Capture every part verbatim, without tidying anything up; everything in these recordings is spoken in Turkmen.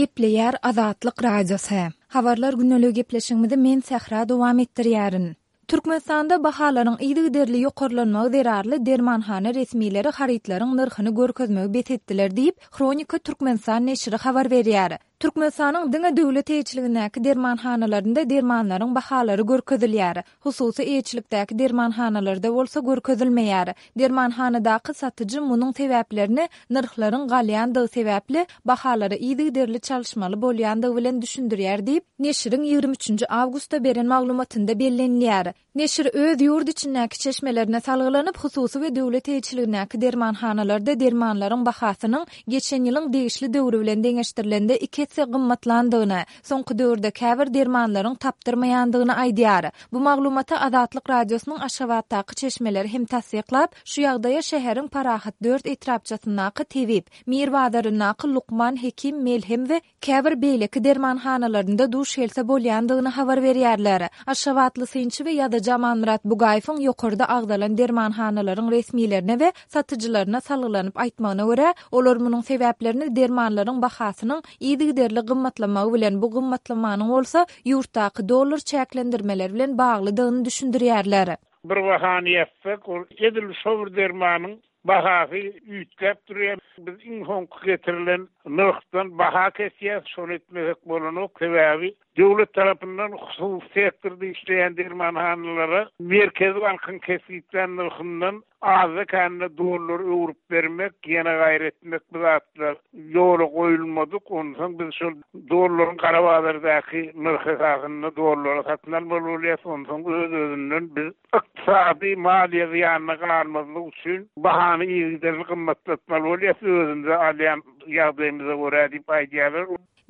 Gepleýär Azatlyk Radiosy. Habarlar gündeligi gepleşigimizi men Sähra dowam etdirýärin. Türkmenistanda bahalaryň yzygiderli ýokarlanmagy zerarly dermanhana resmileri harytlaryň nyrhyny görkezmegi bes etdiler diýip, Hronika Türkmenistan neşiri habar berýär. Türkmenistanyň diňe döwlet eýeçiligindäki dermanhanalarynda dermanlaryň bahalary görkezilýär. Hususy eýeçilikdäki dermanhanalarda bolsa görkezilmeýär. Dermanhanadaky satyjy munuň sebäplerini nyrhlaryň galýandygy sebäpli bahalary yzygiderli çalyşmaly bolýandygy bilen düşündirýär diýip, neşiriň ýigrimi üçünji awgustda beren maglumatynda bellenilýär. Neşir öz ýurt içindäki çeşmelerine salgylanyp, hususy we döwlet eýeçiligindäki dermanhanalarda dermanlaryň bahasynyň geçen ýylyň degişli döwri bilen deňeşdirilende iki esse gymmatlandygyny, soňky döwürde käbir dermanlaryň tapdyrmaýandygyny aýdýar. Bu maglumaty Azatlyk Radiosynyň Aşgabatdaky çeşmeleri hem tassyklap, şu ýagdaýa şäheriň Parahat dört etrapçasyndaky Tebip, Mir bazaryndaky Lukman Hekim Melhem we käbir beýleki dermanhanalarynda duş gelse bolýandygyny habar berýärler. Aşgabatly synçy we ýazyjy Amanmyrat Bugaýewiň ýokarda agzalan dermanhanalaryň resmilerine we satyjylaryna salgylanyp aýtmagyna görä, olar munuň sebäplerini dermanlaryň bahasynyň yzygiderli gymmatlamagy bilen, bu gymmatlamanyň bolsa ýurtdaky dollar çäklendirmeleri bilen baglydygyny düşündirýärler. Bir bahany ýazsak, ol edil şo bir dermanyň bahasy üýtgäp durýar. Biz iň soňky getirilen nyrhdan baha kesýäs, şony etmesek bolanok, sebäbi döwlet tarapyndan hususy sektorda işleýän dermanhanalara Merkezi bankyň kesgitlän nyrhyndan azda-kände dollar öwrüp bermek, ýene gaýry etmek bu zatlar ýola goýulmadyk. Onsoň biz şol dollaryň gara bazardaky nyrh esasynda dollara satyn almaly bolýas. Onsoň öz-özünden biz ykdysady maliýe zyýanyna galmazlyk üçin bahany yzygiderli gymmatlatmaly bolýas, özümize alýan ýagdaýymyza görä diýip aýdýarlar.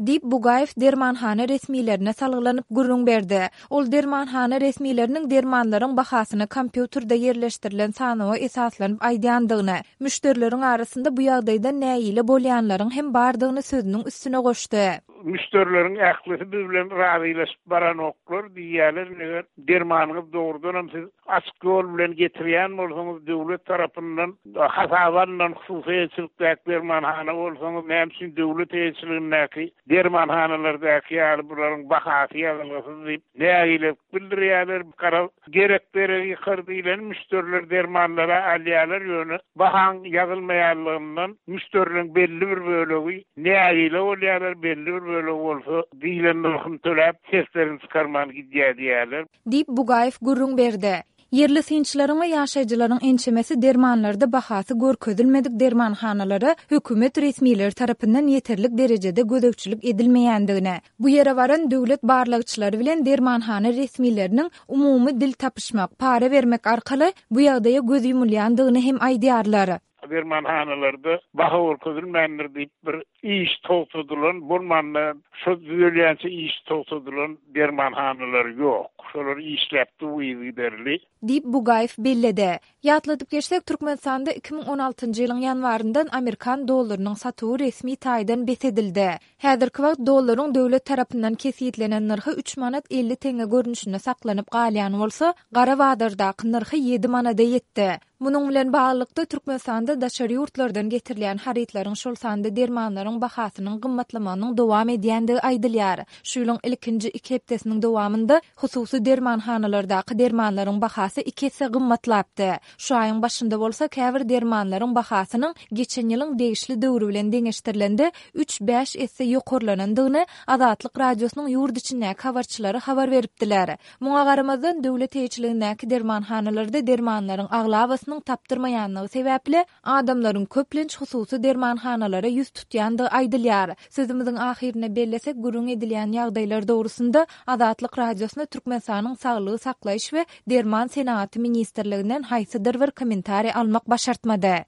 Diýip, Bugaýew dermanhana resmilerine salgylanyp gürrüň berdi. Ol dermanhana resmileriniň dermanlaryň bahasyny kompýuterde ýerleşdirilen sanawa esaslanyp aýdýandygyny, müşderileriň arasynda bu ýagdaýdan nägile bolýanlaryň hem bardygyny sözüniň üstüne goşdy. Müşderileriň ählisi biz bilen razylaşyp baranoklar diýýärler. Eger dermanyňyz dogrudanam siz açyk ýol bilen getirýän bolsaňyz, döwlet tarapyndan hasaba alnan hususy eýeçilikdäki dermanhana bolsaňyz, näme üçin döwlet eýeçiligindäki dermanhanalardaky ýaly bularyň bahasy ýazylgysyz diýip nägilelik bildirýärler. Gara gerek deregi ýykar diýlen müşderiler dermanlara alýarlar, ýöne bahaň ýazylmaýanlygyndan müşderileriň belli bir bölegi nägile bolýarlar, belli bir bölegi bolsa diýlen nyrhyny töläp seslerini çykarman gidýär diýýärler. Diýip, Bugaýew gürrüň berdi. Ýerli synçylaryň we ýaşaýjylaryň ençemesi dermanlarda bahasy görkezilmedik dermanhanalara hökümet resmileri tarapyndan ýeterlik derejede gözegçilik edilmeýändigini, bu ýere baran döwlet barlagçylary bilen dermanhana resmileriniň umumy dil tapyşmak, para bermek arkaly bu ýagdaýa göz ýumulýandygyny hem aýdýarlar. Dermanhanalarda baha görkezilmändir diýip bir iş togtadylan, bolmanda şo düzelýänçe iş togtadylan dermanhanalar ýok. Şolar işläp dur yzygiderli. Diýip, Bugaýew belledi. Ýatladyp geçsek, Türkmenistanda iki müň on altynjy ýylyň ýanwaryndan amerikan dollarynyň satuwy resmi taýdan bes edildi. Häzirki wagt dollaryň döwlet tarapyndan kesgitlenen nyrhy üç manat elli teňňe görnüşinde saklanyp galýan bolsa, gara bazardaky nyrhy ýedi manada ýetdi. Munuň bilen baglylykda, Türkmenistanda daşary ýurtlardan getirilýän harytlaryň, şol sanda dermanlaryň bahasynyň gymmatlamagynyň dowam edýändigi aýdylýar. Şu ýylyň ilkinji iki hepdesiniň dowamynda hususy dermanhanalardaky dermanlaryň bahasy iki esse gymmatlapdy. Şu aýyň başynda bolsa käbir dermanlaryň bahasynyň geçen ýylyň degişli döwri bilen deňeşdirilende üç-bäş esse ýokarlanandygyny Azatlyk Radiosynyň ýurt içindäki habarçylary habar beripdiler. Muňa garamazdan, döwlet eýeçiligindäki dermanhanalarda dermanlaryň aglabasynyň tapdyrmaýanlygy sebäpli adamlaryň köplenç hususy dermanhanalara ýüz tutýandygy aýdylýar. Sözümiziň ahyrynda bellesek, gürrüň edilýän ýagdaýlar dogrusynda Azatlyk Radiosyna Türkmenistanyň Saglygy saklaýyş we derman senagaty ministrliginden haýsydyr bir kommentariý almak başartmady.